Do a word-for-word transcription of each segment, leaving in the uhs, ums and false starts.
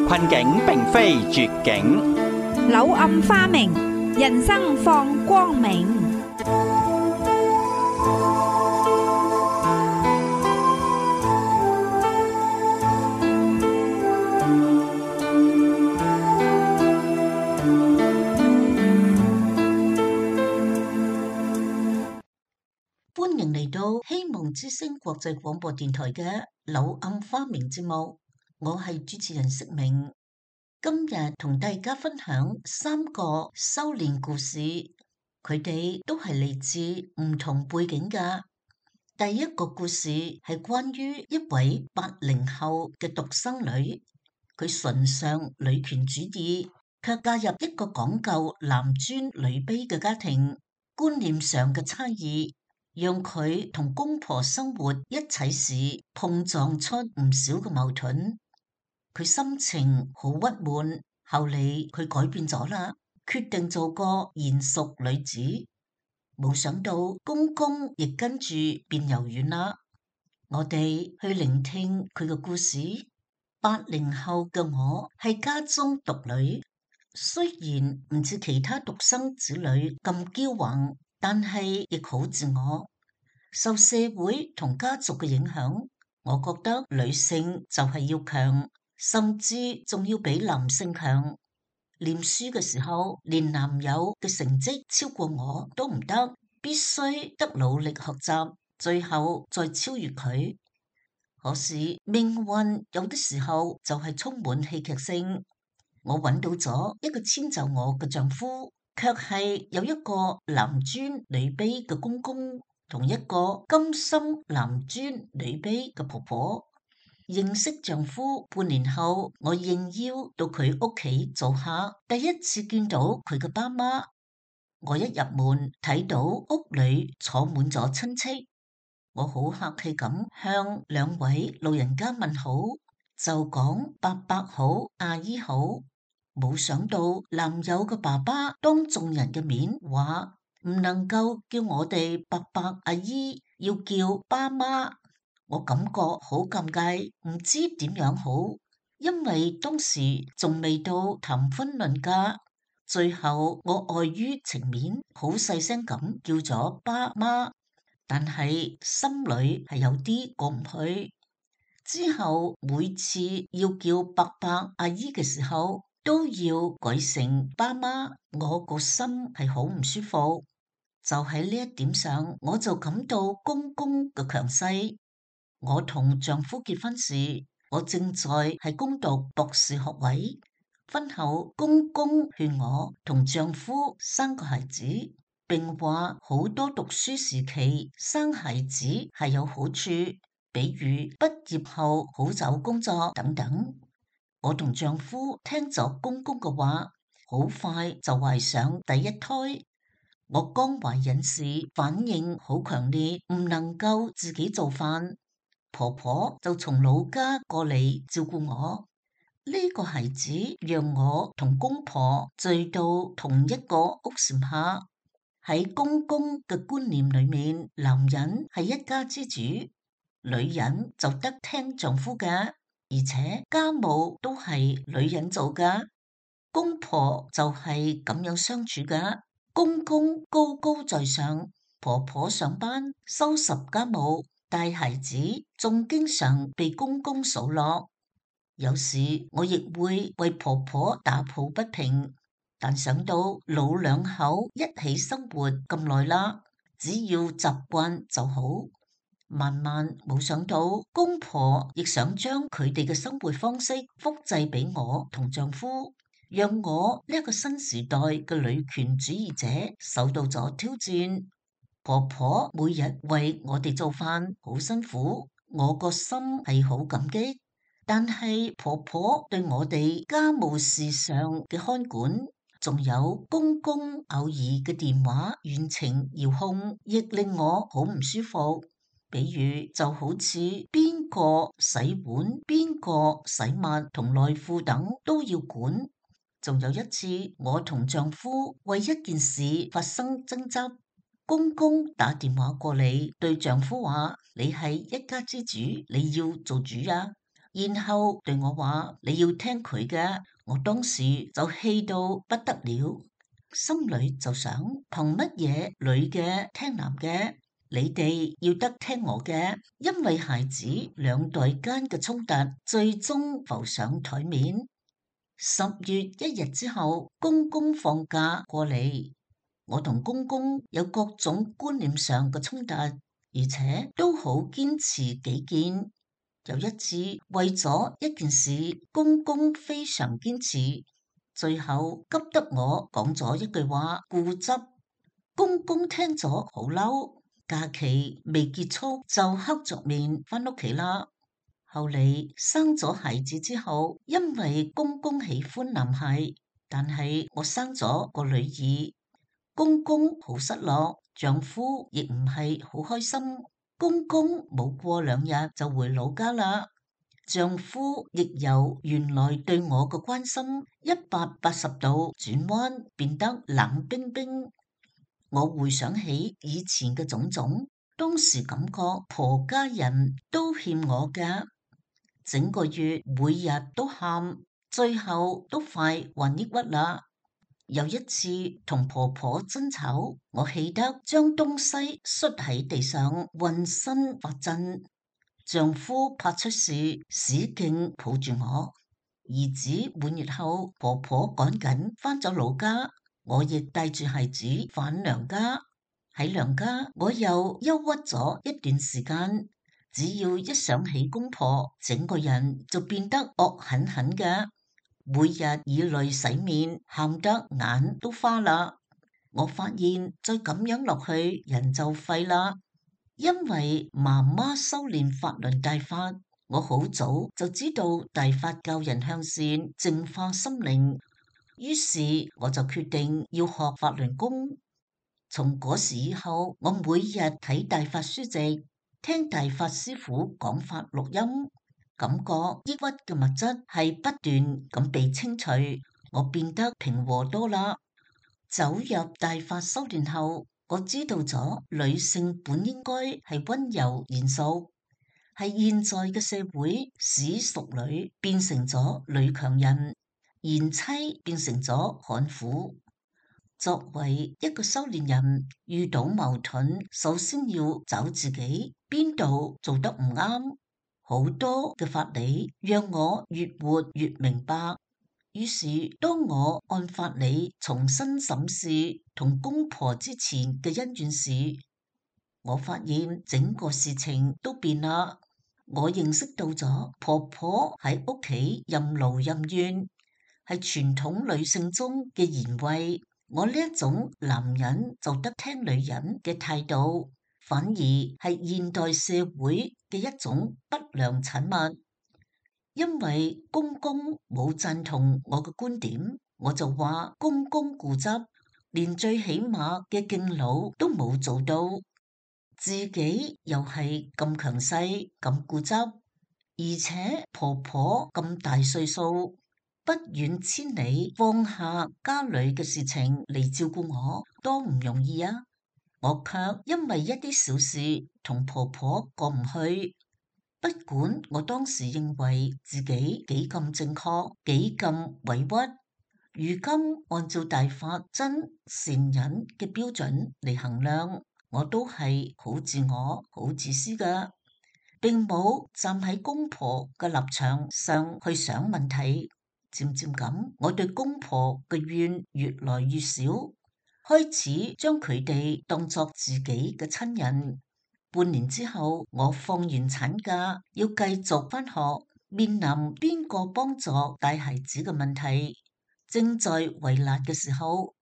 困境並非絕境，柳暗花明，人生放光明。歡迎嚟到希望之聲國際廣播電台嘅柳暗花明節目，我係主持人釋明。今日同大家分享三個修煉故事，佢哋都係嚟自唔同背景㗎。第一個故事係關於一位八零後嘅獨生女，佢崇尚女權主義，卻嫁入一個講究男尊女卑嘅家庭，觀念上嘅差異，讓佢同公婆生活一齊時碰撞出唔少嘅矛盾。佢心情好鬱悶，後嚟佢改變咗啦，決定做個賢淑女子。冇想到公公亦跟住變柔軟啦。我哋去聆聽佢嘅故事。八零後嘅我係家中獨女，雖然唔似其他獨生子女咁驕橫，但係亦好自我。受社會同家族嘅影響，我覺得女性就係要強，甚至仲要比男性強。念書嘅時候，連男友嘅成績超過我都唔得，必須得努力學習，最後再超越佢。可是命運有啲時候就係充滿戲劇性。我揾到咗一個遷就我嘅丈夫，卻係有一個男尊女卑嘅公公，同一個甘心男尊女卑嘅婆婆。認識丈夫半年後，我應邀到佢屋企做客，第一次見到佢嘅爸媽。我一入門睇到屋裏坐滿咗親戚，我好客氣咁向兩位老人家問好，就講伯伯好，阿姨好。冇想到男友嘅爸爸當眾人嘅面話唔能夠叫我哋伯伯阿姨，要叫爸媽。我感覺好尷尬，唔知點樣好，因為當時仲未到談婚論嫁。最後我礙於情面，好細聲咁叫咗爸媽，但係心裏係有啲過唔去。之後每次要叫伯伯阿姨嘅時候，都要改成爸媽，我個心係好唔舒服。就喺呢一點上，我就感到公公嘅強勢。我同丈夫結婚時，我正在係攻讀博士學位。婚後，公公勸我同丈夫生個孩子，並話好多讀書時期生孩子係有好處，比如畢業後好找工作等等。我同丈夫聽咗公公嘅話，好快就懷上第一胎。我剛懷孕時反應好強烈，唔能夠自己做飯。婆婆就從老家過嚟照顧我，呢、這個孩子讓我同公婆聚到同一個屋檐下。喺公公嘅觀念裏面，男人係一家之主，女人就得聽丈夫嘅，而且家務都係女人做噶。公婆就係咁樣相處噶，公公高高在上，婆婆上班收拾家務。帶孩子仲經常被公公數落，有時我亦會為婆婆打抱不平，但想到老兩口一起生活咁耐啦，只要習慣就好。慢慢冇想到公婆亦想將佢哋嘅生活方式複製俾我同丈夫，讓我呢一個新時代嘅女權主義者受到咗挑戰。婆婆每日為我哋做飯，好辛苦，我個心係好感激。但係婆婆對我哋家務事上嘅看管，仲有公公偶爾嘅電話遠程遙控，亦令我好唔舒服。比如就好似邊個洗碗、邊個洗襪同內褲等都要管。仲有一次，我同丈夫為一件事發生爭執。公公打電話過嚟，對丈夫話：你係一家之主，你要做主啊！然後對我話你要聽佢嘅。我當時就氣到不得了，心裏就想憑乜嘢女嘅聽男嘅？你哋要得聽我嘅，因為孩子兩代間嘅衝突最終浮上台面。十月一日之後，公公放假過嚟，我同公公有各種觀念上嘅衝突，而且都好堅持己見。有一次為咗一件事，公公非常堅持，最後急得我講咗一句話，固執。公公聽咗好嬲，假期未結束就黑着面返屋企啦。後嚟生咗孩子之後，因為公公喜歡男孩，但係我生咗個女兒，公公好失落，丈夫亦唔係好開心。公公冇過兩日就回老家啦，丈夫亦由原來對我嘅關心一百八十度轉彎，變得冷冰冰。我回想起以前嘅種種，當時感覺婆家人都欠我嘅，整個月每日都喊，最後都快患抑鬱啦。有一次同婆婆爭吵，我氣得將東西摔喺地上，渾身發震。丈夫拍出事，使勁抱住我。兒子滿月後，婆婆趕緊返咗老家，我亦帶住孩子返娘家。喺娘家，我又憂鬱咗一段時間。只要一想起公婆，整個人就變得惡狠狠嘅，每日以淚洗面，喊得眼都花啦。我發現再咁樣落去，人就廢啦。因為媽媽修煉法輪大法，我好早就知道大法教人向善，淨化心靈。於是我就決定要學法輪功。從嗰時以後，我每日睇大法書籍，聽大法師傅講法錄音，感覺抑鬱嘅物質係不斷咁被清除，我變得平和多啦。走入大法修煉後，我知道咗女性本應該係溫柔賢淑，係現在嘅社會使淑女變成咗女強人，賢妻變成咗悍婦。作為一個修煉人，遇到矛盾，首先要找自己邊度做得唔啱。好多嘅法理讓我越活越明白。於是當我按法理重新審視同公婆之前嘅恩怨時，我發現整個事情都變啦。我認識到咗婆婆喺屋企任勞任怨，係傳統女性中嘅賢惠。我呢一種男人就得聽女人嘅態度，反而係現代社會嘅一種不良產物。因為公公冇贊同我嘅觀點，我就話公公固執，連最起碼嘅敬老都冇做到，自己又係咁強勢咁固執，而且婆婆咁大歲數，不遠千里放下家裏嘅事情嚟照顧我，多唔容易啊！我卻因為一啲小事同婆婆過唔去。不管我當時認為自己幾咁正確，幾咁委屈，如今按照大法真善忍嘅標準嚟衡量，我都係好自我、好自私㗎，並冇站喺公婆嘅立場上去想問題。漸漸咁，我對公婆嘅怨越來越少，開始將佢哋當作自己嘅親人。半年之後，我放完產假，要繼續返學，面臨邊個幫助帶孩子嘅問題，正在為難嘅時候，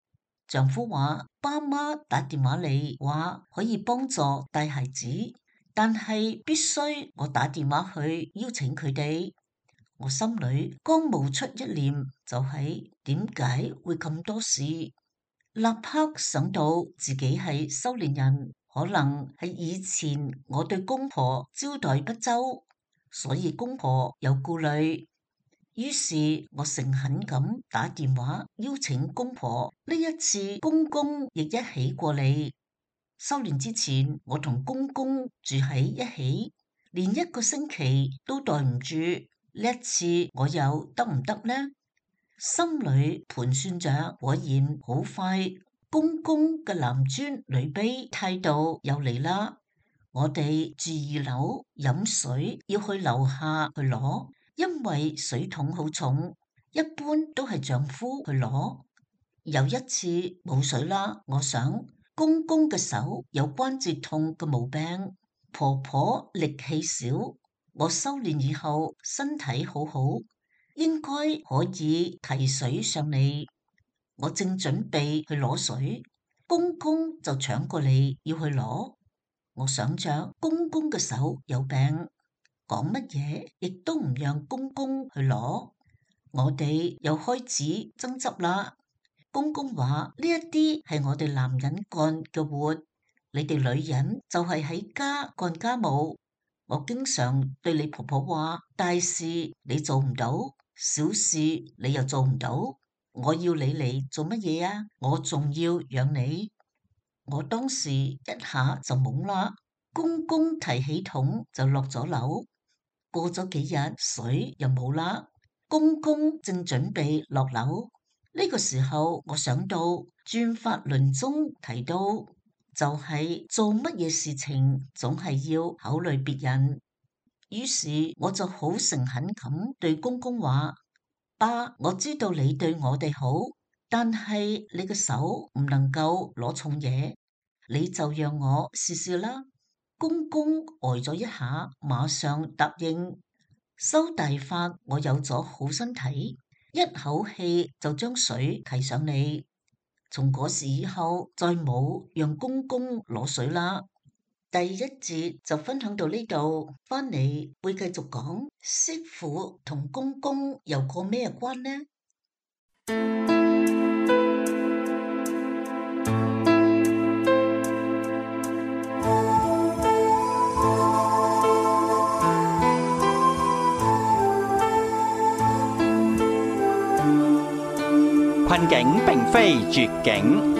丈夫話爸媽打電話嚟話可以幫助帶孩子，但係必須我打電話去邀請佢哋。我心裏剛冒出一念，就係點解會咁多事？立刻想到自己係修煉人。可能係以前我對公婆招待不周，所以公婆有顧慮。於是我誠懇咁打電話邀請公婆，呢一次公公亦一起過嚟。修煉之前，我同公公住喺一起，連一個星期都待唔住。呢一次我又得唔得呢？心裏盤算着，果然好快，公公嘅男尊女卑態度又嚟啦。我哋住二樓飲水要去樓下去攞，因為水桶好重，一般都係丈夫去攞。有一次冇水啦，我想公公嘅手有關節痛嘅毛病，婆婆力氣少，我修煉以後身體好好，應該可以提水上嚟。我正準備去攞水，公公就搶過嚟要去攞。我想着公公嘅手有病，講乜嘢亦都唔讓公公去攞。我哋又開始爭執啦。公公話呢一啲係我哋男人幹嘅活，你哋女人就係喺家幹家務。我經常對你婆婆話，大事你做唔到，小事你又做唔到，我要你嚟做乜嘢啊？我仲要養你。我當時一下就懵啦，公公提起桶就落咗樓。過咗幾日水又冇啦，公公正準備落樓。呢個時候我想到轉法輪中提到，就係做乜嘢事情總係要考慮別人。於是我就好誠懇咁對公公話：爸，我知道你對我哋好，但係你嘅手唔能夠攞重嘢，你就讓我試試啦。公公呆咗一下，馬上答應。修大法，我有咗好身體，一口氣就將水提上嚟。從嗰時以後，再冇讓公公攞水啦。第一節就分享到呢度，翻嚟會繼續講媳婦同公公有個咩關呢？困境並非絕境，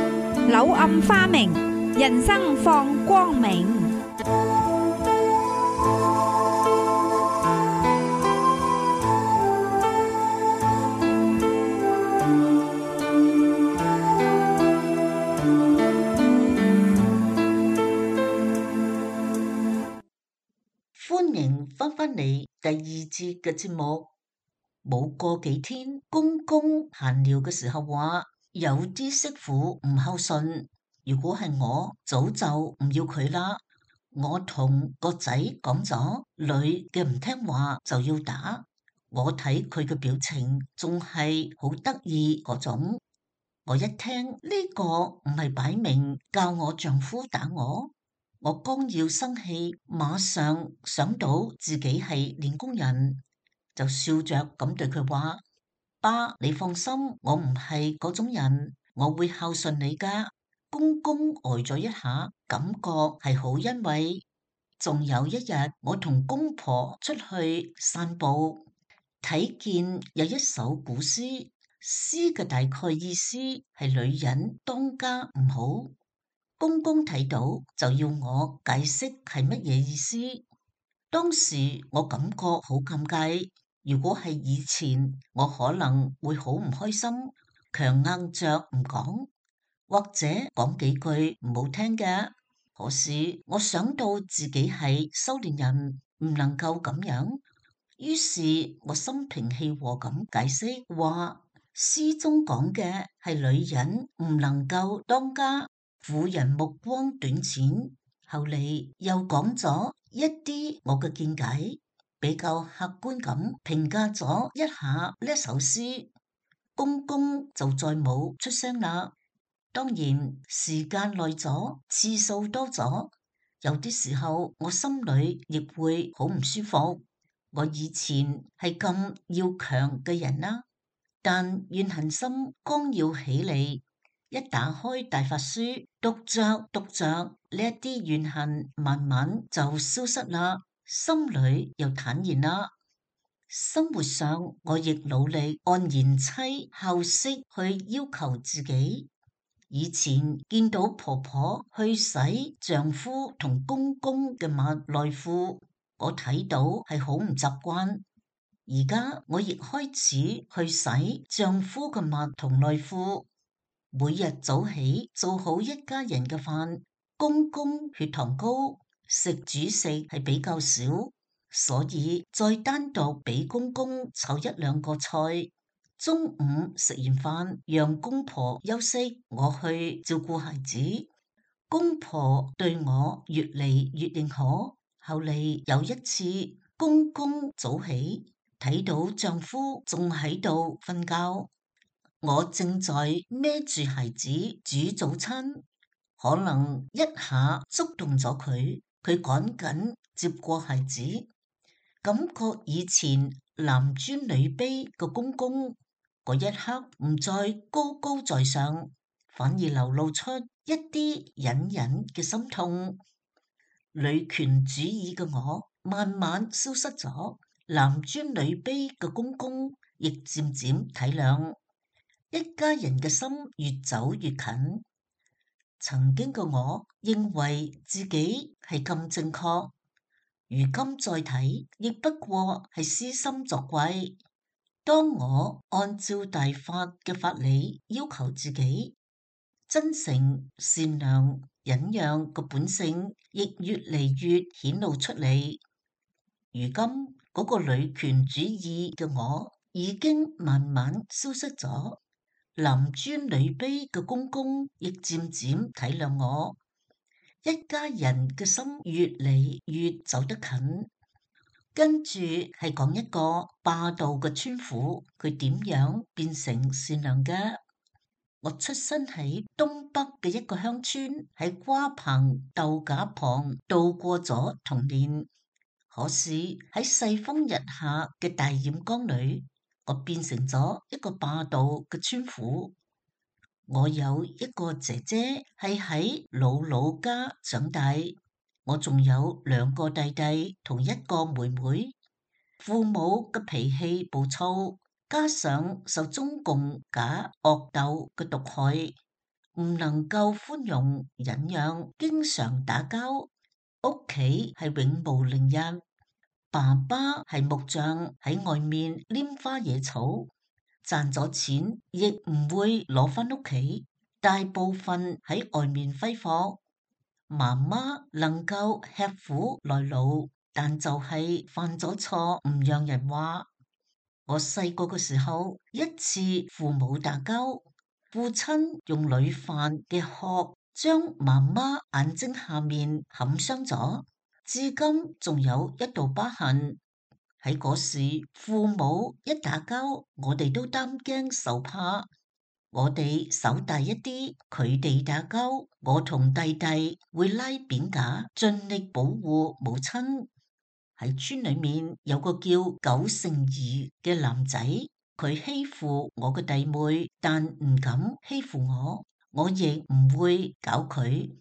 柳暗花明，人生放光明。歡迎翻返嚟第二節嘅節目。冇過幾天，公公閒聊嘅時候話，有啲媳婦唔孝順，如果係我，早就唔要佢啦。我同個仔講咗，女嘅唔聽話就要打。我睇佢嘅表情仲係好得意嗰種。我一聽呢個唔係擺明教我丈夫打我，我剛要生氣，馬上想到自己係練功人，就笑着咁對佢話：爸，你放心，我唔係嗰種人，我會孝順你噶。公公呆咗一下，感覺係好欣慰。仲有一日，我同公婆出去散步，睇見有一首古詩，詩嘅大概意思係女人當家唔好。公公睇到就要我解釋係乜嘢意思。當時我感覺好尷尬，如果係以前，我可能會好唔開心，強硬着唔講，或者講幾句唔好聽嘅。可是我想到自己係修煉人，唔能夠咁樣，於是我心平氣和咁解釋話，詩中講嘅係女人唔能夠當家，婦人目光短淺。後嚟又講咗一啲我嘅見解，比較客觀咁評價咗一下呢首詩。公公就再冇出聲啦。當然時間耐咗，次數多咗，有啲時候我心裏亦會好唔舒服。我以前係咁要強嘅人啦，但怨恨心剛要起嚟，一打開大法書，讀着讀着，呢一啲怨恨慢慢就消失啦，心裏又坦然啦。生活上我亦努力按賢妻孝媳去要求自己。以前見到婆婆去洗丈夫同公公嘅襪內褲，我睇到係好唔習慣。而家我亦開始去洗丈夫嘅襪同內褲，每日早起做好一家人嘅飯。公公血糖高，食主食係比較少，所以再單獨俾公公炒一兩個菜。中午食完飯，讓公婆休息，我去照顧孩子。公婆對我越嚟越認可。後嚟有一次，公公早起，睇到丈夫仲喺度瞓覺，我正在孭住孩子煮早餐，可能一下觸動咗佢，佢趕緊接過孩子，感覺以前男尊女卑嘅公公，嗰一刻唔再高高在上，反而流露出一啲隱隱嘅心痛。女權主義嘅我慢慢消失咗，男尊女卑嘅公公亦漸漸體諒，一家人嘅心越走越近。曾經嘅我認為自己係咁正確，如今再睇，亦不過係私心作怪。當我按照大法嘅法理要求自己，真誠、善良、忍讓嘅本性亦越嚟越顯露出嚟。如今嗰個女權主義嘅我已經慢慢消失咗，男尊女卑嘅公公亦漸漸體諒我，一家人嘅心越嚟越走得近。跟住係講一個霸道嘅村婦，佢點樣變成善良嘅？我出生喺東北嘅一個鄉村，喺瓜棚豆莢旁度過咗童年。可是喺世風日下嘅大染缸裏，我變成咗一個霸道嘅村婦。我有一個姐姐係喺姥姥家長大，我仲有兩個弟弟同一個妹妹。父母嘅脾氣暴躁，加上受中共假惡鬥嘅毒害，唔能夠寬容忍讓，經常打交。屋企係永無寧日，爸爸係木匠，喺外面拈花惹草，賺咗錢亦唔會攞返屋企，大部分喺外面揮霍。媽媽能夠吃苦耐勞，但就係犯咗錯唔讓人話。我細個嘅時候，一次父母打交，父親用鋁飯嘅殼將媽媽眼睛下面砍傷咗，至今仲有一道疤痕。喺嗰時，父母一打交，我哋都擔驚受怕。我哋手大一啲，佢哋打交，我同弟弟會拉扁架，盡力保護母親。喺村裏面有個叫九成二嘅男仔，佢欺負我嘅弟妹，但唔敢欺負我，我亦唔會搞佢。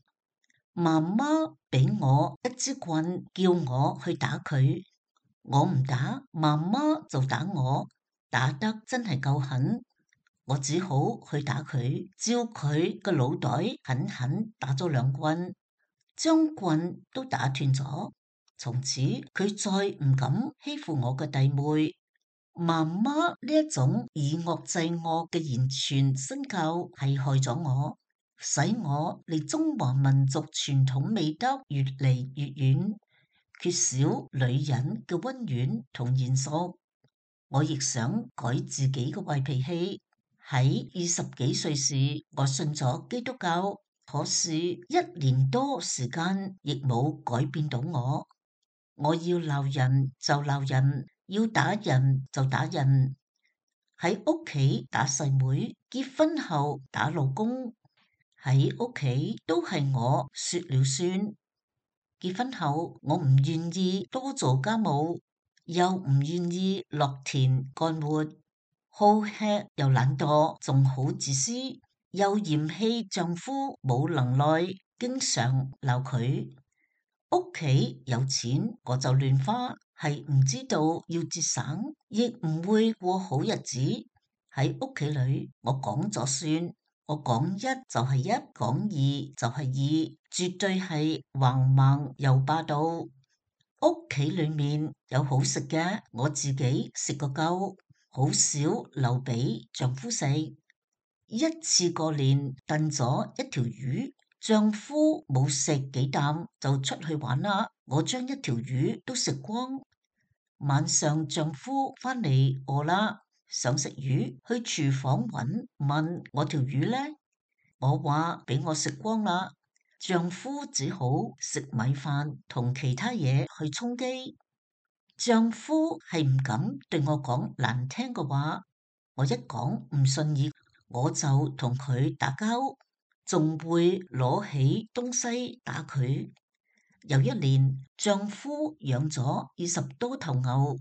媽媽俾我一支棍，叫我去打佢，我唔打，媽媽就打我，打得真係夠狠。我只好去打佢，照佢個腦袋狠狠打咗兩棍，將棍都打斷咗。從此佢再唔敢欺負我嘅弟妹。媽媽呢一種以惡制惡嘅言傳身教係害咗我，使我離中華民族傳統美德越嚟越遠，缺少女人嘅溫婉同賢淑。我亦想改自己嘅壞脾氣。喺二十幾歲時，我信咗基督教，可是一年多時間亦冇改變到我。我要鬧人就鬧人，要打人就打人。喺屋企打細妹，結婚後打老公，喺屋企都係我說了算。結婚後我唔願意多做家務，又唔願意落田幹活。好吃又懶惰，仲好自私，又嫌棄丈夫冇能耐，經常鬧佢。屋企有錢我就亂花，係唔知道要節省，亦唔會過好日子。喺屋企裏，我講咗算，我講一就係一，講二就係二，絕對係橫蠻又霸道。屋企裏面有好食嘅，我自己食個夠，好少留俾丈夫食。一次過年燉咗一條魚，丈夫冇食幾啖就出去玩啦，我將一條魚都食光。晚上丈夫翻嚟餓啦，想食魚，去廚房揾，問我條魚呢？我話俾我食光啦。丈夫只好食米飯同其他嘢去充飢。丈夫係唔敢對我講難聽嘅話，我一講唔順意，我就同佢打交，仲會攞起東西打佢。有一年，丈夫養咗二十多頭牛，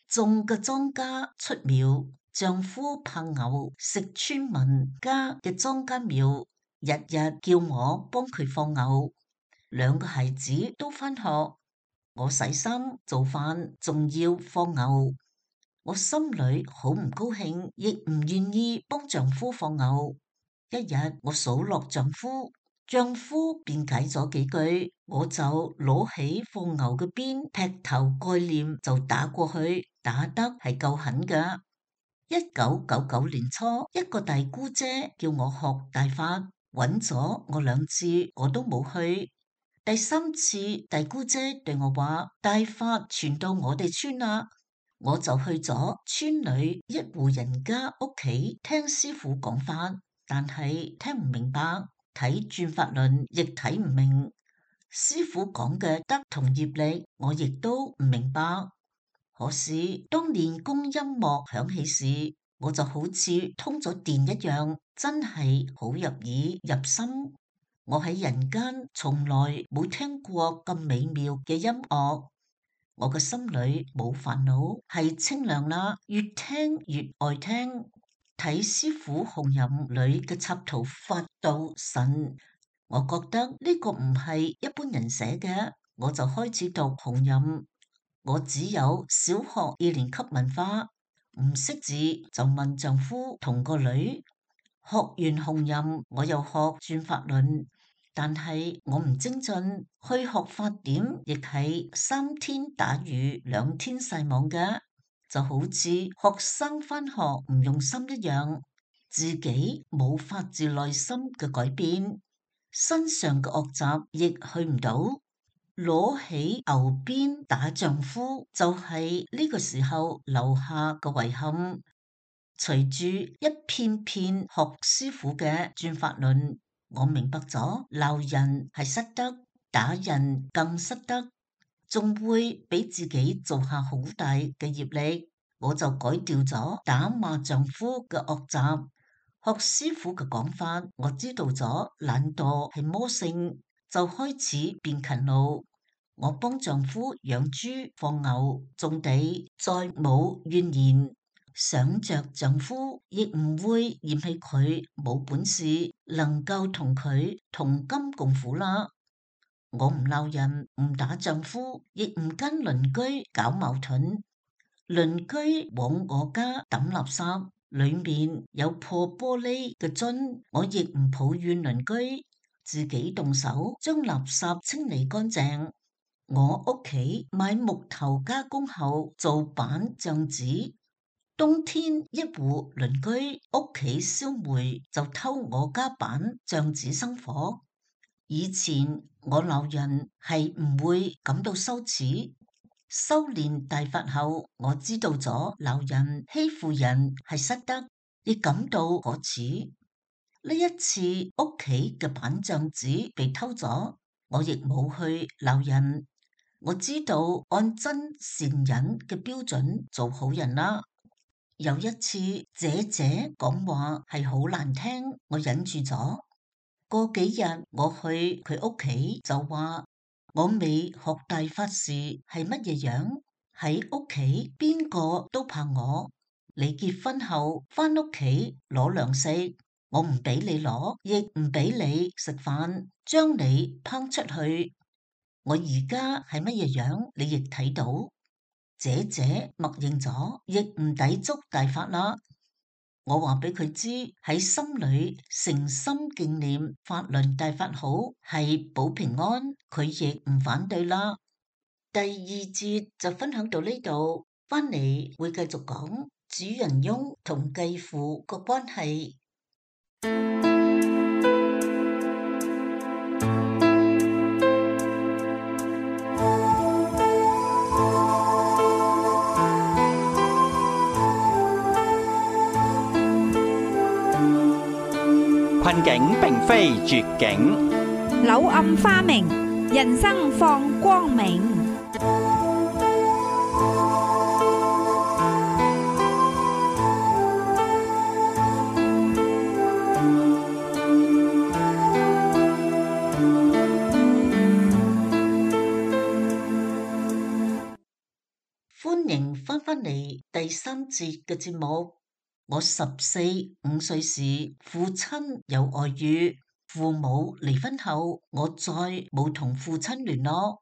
種嘅莊稼出苗，丈夫怕牛食村民家嘅莊稼苗，日日叫我幫佢放牛。兩個孩子都返學，我洗衫做飯，仲要放牛。我心裏好唔高興，亦唔願意幫丈夫放牛。一日我數落丈夫，丈夫辯解咗幾句，我就攞起放牛嘅鞭，劈頭蓋臉就打過去，打得係夠狠㗎。一九九九年初，一個大姑姐叫我學大法，揾咗我兩次，我都冇去。第三次，大姑姐對我話大法傳到我哋村啦。我就去咗村裏一戶人家屋企聽師傅講法，但係聽唔明白，睇轉法輪亦睇唔明。師傅講嘅德同業力，我亦都唔明白。可是當練功音樂響起時，我就好似通咗電一樣，真係好入耳入心。我喺人間從來冇聽過咁美妙嘅音樂。我嘅心裏冇煩惱，係清涼啦，越聽越愛聽。睇師傅紅吟裏嘅插圖發到神，我覺得呢個唔係一般人寫嘅，我就開始讀紅吟。我只有小學二年級文化，唔識字就問丈夫同個女。學完紅吟，我又學轉法輪。但係我唔精進，去學法典亦係三天打魚兩天曬網嘅，就好似學生返學唔用心一樣，自己冇發自內心嘅改變，身上嘅惡習亦去唔到，攞起牛鞭打丈夫就係呢個時候留下嘅遺憾。隨住一片片學師傅嘅轉法輪，我明白咗鬧人係失德，打人更失德，仲會俾自己做下好大嘅業力。我就改掉咗打罵丈夫嘅惡習，學師傅嘅講法，我知道咗懶惰係魔性，就開始變勤勞。我幫丈夫養豬、放牛、種地，再冇怨言。想着丈夫亦唔會嫌棄佢冇本事，能夠同佢同甘共苦啦。我唔鬧人，唔打丈夫，亦唔跟鄰居搞矛盾。鄰居往我家抌垃圾，裏面有破玻璃嘅樽，我亦唔抱怨鄰居，自己動手將垃圾清理乾淨。我屋企買木頭加工後做板帳子。冬天一戶鄰居屋企燒煤就偷我家板帳子生火。以前我鬧人係唔會感到羞恥，修煉大法後我知道咗鬧人欺負人係失德，亦感到可恥。呢一次屋企嘅板帳子被偷咗，我亦冇去鬧人。我知道按真善忍嘅標準做好人啦。有一次，姐姐講話係好難聽，我忍住咗。過幾日我去佢屋企就話我未學大法時係乜嘢樣，喺屋企邊個都怕我。你結婚後返屋企攞糧食，我唔俾你攞，亦唔俾你食飯，將你拋出去。我而家係乜嘢樣，你亦睇到。姐姐默認咗，亦唔抵觸大法啦。我話俾佢知喺心裏誠心敬念法輪大法好，係保平安，佢亦唔反對啦。第二節就分享到呢度，返嚟會繼續講主人翁同繼父個關係。困境並非絕境，柳暗花明，人生放光明。歡迎返返嚟第三節嘅節目。我十四五歲時，父親有外遇，父母離婚後，我再冇同父親聯絡。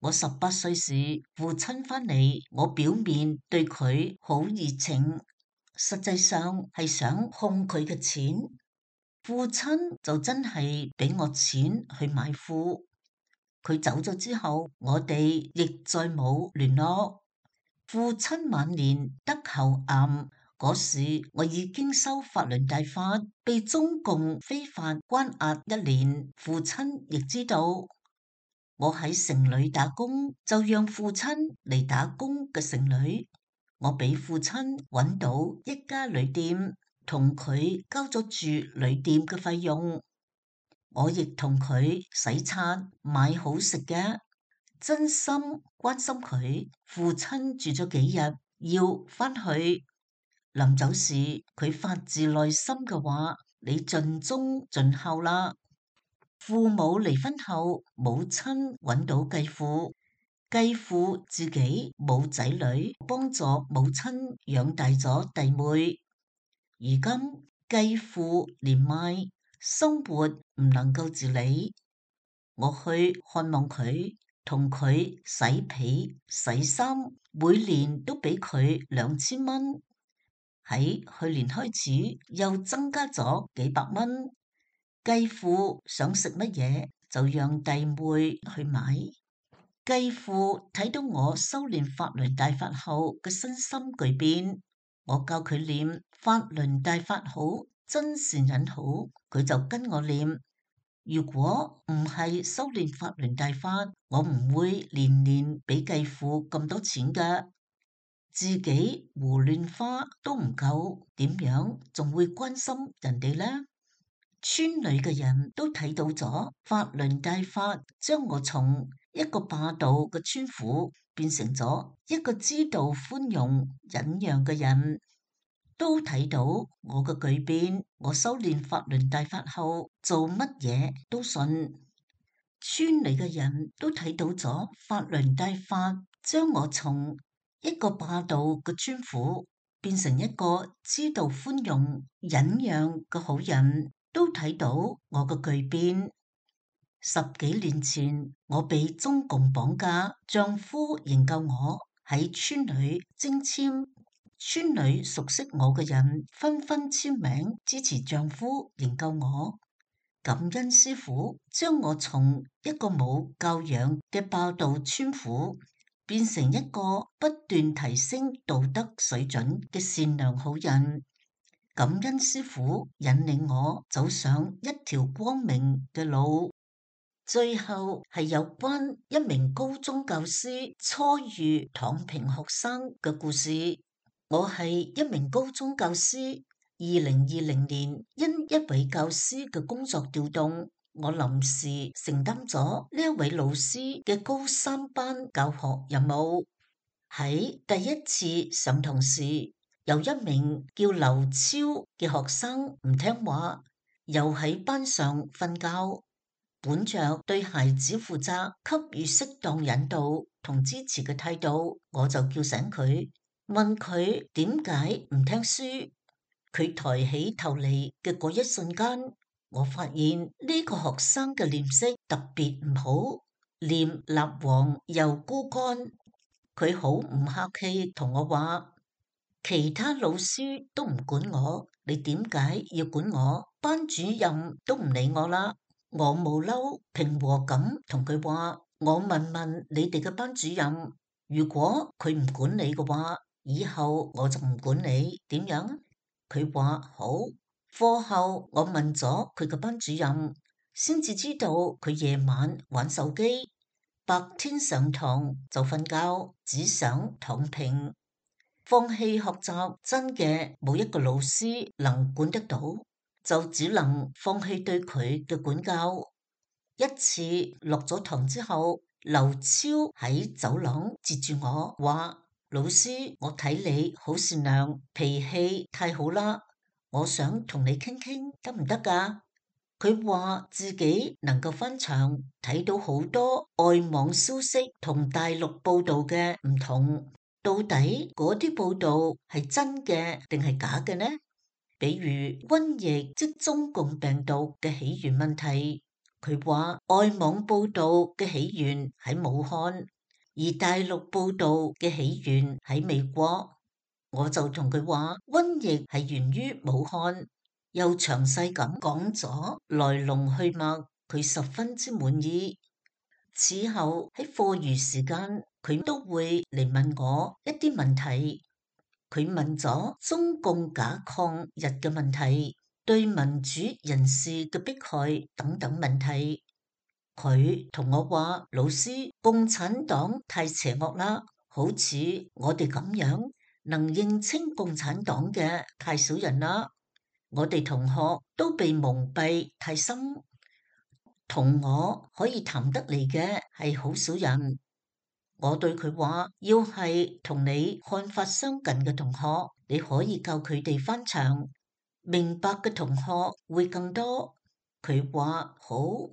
我十八歲時，父親返嚟，我表面對佢好熱情，實際上係想控佢嘅錢。父親就真係俾我錢去買褲。佢走咗之後，我哋亦再冇聯絡。父親晚年得喉癌嗰時，我已經修法輪大法，被中共非法關押一年。父親亦知道我喺城裏打工，就讓父親嚟打工嘅城裏。我俾父親揾到一家旅店，同佢交咗住旅店嘅費用。我亦同佢洗刷買好食嘅，真心關心佢。父親住咗幾日，要返去。臨走時，佢發自內心嘅話：你盡忠盡孝啦。父母離婚後，母親揾到繼父，繼父自己冇仔女，幫助母親養大咗弟妹。如今繼父年邁，生活唔能夠自理，我去看望佢，同佢洗被洗衫，每年都俾佢兩千蚊。喺去年開始又增加咗幾百蚊。繼父想食乜嘢就讓弟妹去買。繼父睇到我修煉法輪大法後嘅身心巨變，我教佢念法輪大法好，真善忍好，佢就跟我念。如果唔係修煉法輪大法，我唔會年年俾繼父咁多錢㗎。自己胡亂花都唔夠，點樣仲會關心人哋呢？村裏嘅人都睇到咗法輪大法，將我從一個霸道嘅村婦變成咗一個知道寬容忍讓嘅人，都睇到我嘅巨變。我修煉法輪大法後，做乜嘢都信。村裏嘅人都睇到咗法輪大法，將我從一個霸道嘅村婦變成一個知道寬容忍讓嘅好人，都睇到我嘅巨變。十幾年前我被中共綁架，丈夫營救我，喺村裏徵簽，村裏熟悉我嘅人紛紛簽名支持丈夫營救我。感恩師父將我從一個冇教養嘅霸道村婦變成一個不斷提升道德水準嘅善良好人。感恩師父引領我走上一條光明嘅路。最後係有關一名高中教師初遇躺平學生嘅故事。我係一名高中教師，二零二零年因一位教師嘅工作調動，我臨時承擔咗呢一位老師嘅高三班教學任務。喺第一次上堂時，有一名叫劉超嘅學生唔聽話，又喺班上瞓覺。本着對孩子負責、給予適當引導同支持嘅態度，我就叫醒佢，問佢點解唔聽書。佢抬起頭嚟嘅嗰一瞬間，我發現呢個學生嘅臉色特別唔好，臉蠟黃又枯乾。佢好唔客氣同我話：其他老師都唔管我，你點解要管我？班主任都唔理我啦。我冇嬲，平和咁同佢話：我問問你哋嘅班主任，如果佢唔管你嘅話，以後我就唔管你，點樣啊？佢話好。課後我問咗佢嘅班主任，先至知道佢夜晚玩手機，白天上堂就瞓覺，只想躺平。放棄學習真嘅冇一個老師能管得到，就只能放棄對佢嘅管教。一次落咗堂之後，劉超喺走廊截住我話：老師，我睇你好善良，脾氣太好啦，我想同你傾傾得唔得㗎？佢話自己能夠翻牆睇到好多外網消息同大陸報道嘅唔同，到底嗰啲報道係真嘅定係假嘅呢？比如瘟疫即中共病毒嘅起源問題。佢話外網報道嘅起源喺武漢，而大陸報道嘅起源喺美國。我就同佢話瘟疫係源於武漢，又詳細咁講咗來龍去脈，佢十分之滿意。此後喺課餘時間，佢都會嚟問我一啲問題。佢問咗中共假抗日嘅問題，對民主人士嘅迫害等等問題。佢同我話：老師，共產黨太邪惡啦，好似我哋咁樣能認清共產黨嘅太少人啦。我哋同學都被蒙蔽太深，同我可以談得嚟嘅係好少人。我對佢話：要係同你看法相近嘅同學，你可以教佢哋翻牆，明白嘅同學會更多。佢話好。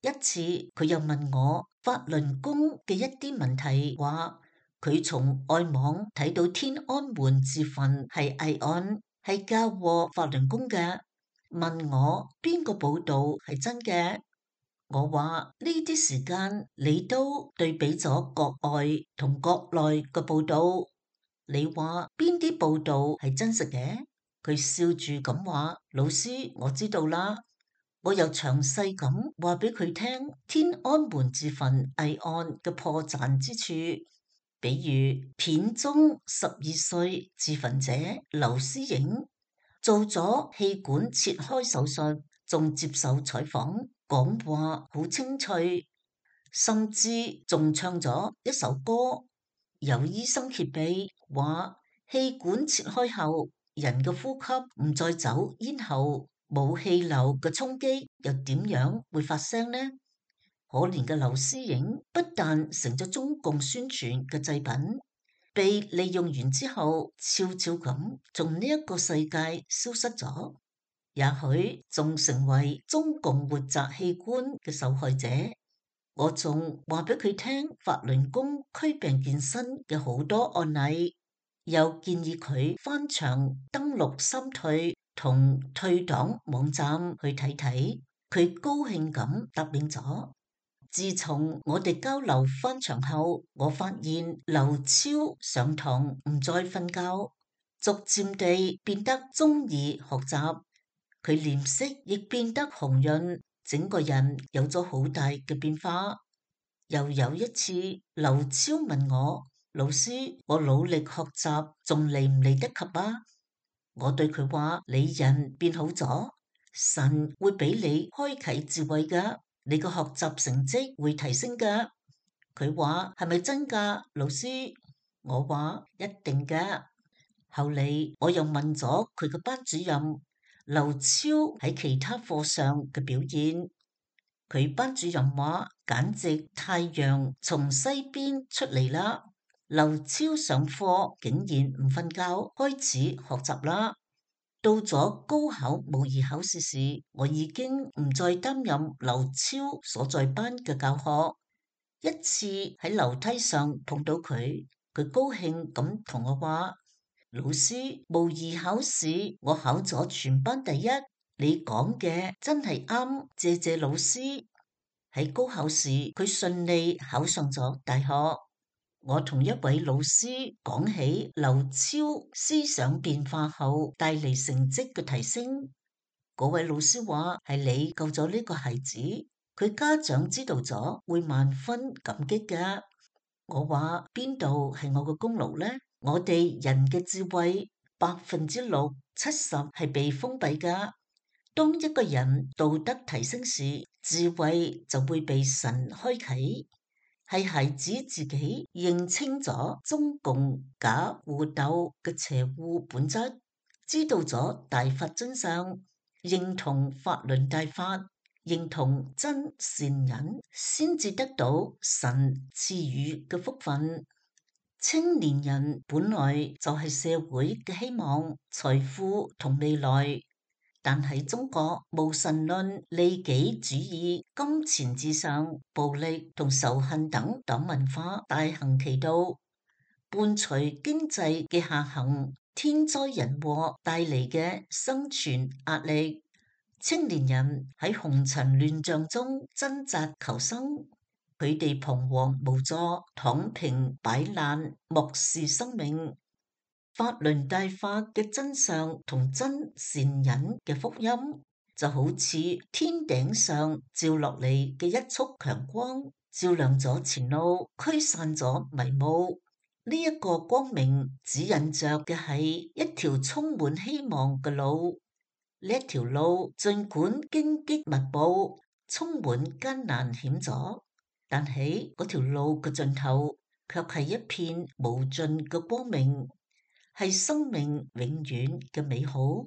一次佢又問我法輪功嘅一啲問題，話佢從外網睇到天安門自焚係偽案，係嫁禍法輪功嘅，問我邊個報道係真嘅。我話呢啲時間你都對比咗國外同國內嘅報道，你話邊啲報道係真實嘅？佢笑住咁話：老師，我知道啦。我又詳細咁話俾佢聽天安門自焚偽案嘅破綻之處，比如片中十二歲自焚者劉思穎做咗氣管切開手術，仲接受採訪，講話好清脆，甚至仲唱咗一首歌。有醫生揭秘話，氣管切開後，人嘅呼吸唔再走咽喉，冇氣流嘅衝擊，又點樣會發聲呢？可憐嘅劉思穎不但成咗中共宣傳嘅祭品，被利用完之後，悄悄咁從呢一個世界消失咗，也許仲成為中共活摘器官嘅受害者。我仲話俾佢聽法輪功驅病健身嘅好多案例，又建議佢翻牆登錄三退同退黨網站去睇睇，佢高興咁答應咗。自從我哋交流翻牆後，我發現劉超上堂唔再瞓覺，逐漸地變得中意學習，佢臉色亦變得紅潤，整個人有咗好大嘅變化。又有一次，劉超問我：老師，我努力學習，仲嚟唔嚟得及啊？我對佢話：你人變好咗，神會俾你開啟智慧噶。你個學習成績會提升噶。佢話係咪真噶，老師？我話一定噶。後嚟我又問咗佢個班主任劉超喺其他課上嘅表現，佢班主任話簡直太陽從西邊出嚟啦。劉超上課竟然唔瞓覺，開始學習啦。到咗高考模擬考試時，我已經唔再擔任劉超所在班嘅教學。一次喺樓梯上碰到佢，佢高興咁同我話：老師，模擬考試我考咗全班第一，你講嘅真係啱，謝謝老師。喺高考時，佢順利考上咗大學。我同一位老師講起劉超思想變化後帶嚟成績嘅提升，嗰位老師話係你救咗呢個孩子，佢家長知道咗會萬分感激㗎。我話邊度係我嘅功勞呢？我哋人嘅智慧百分之六七十係被封閉㗎。當一個人道德提升時，智慧就會被神開啟。係孩子自己認清咗中共假互鬥嘅邪惡本質，知道咗大法真相，認同法輪大法，認同真善忍，先至得到神賜予嘅福分。青年人本來就係社會嘅希望、財富同未來，但喺中國無神論、利己主義、金錢至上、暴力同仇恨等等文化大行其道，伴隨經濟嘅下行、天災人禍帶嚟嘅生存壓力，青年人喺紅塵亂象中掙扎求生。佢哋彷徨無助，躺平擺爛，漠視生命。法輪大法嘅真相同真善忍嘅福音，就好似天頂上照落嚟嘅一束強光，照亮咗前路，驅散咗迷霧。呢一個光明指引着嘅係一條充滿希望嘅路。呢一條路儘管荊棘密布，充滿艱難險阻，但喺嗰條路嘅盡頭，卻係一片無盡嘅光明，係生命永遠嘅美好。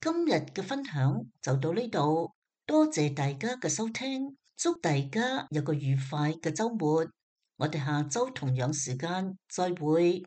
今日嘅分享就到呢度，多謝大家嘅收聽，祝大家有個愉快嘅週末。我哋下週同樣時間再會。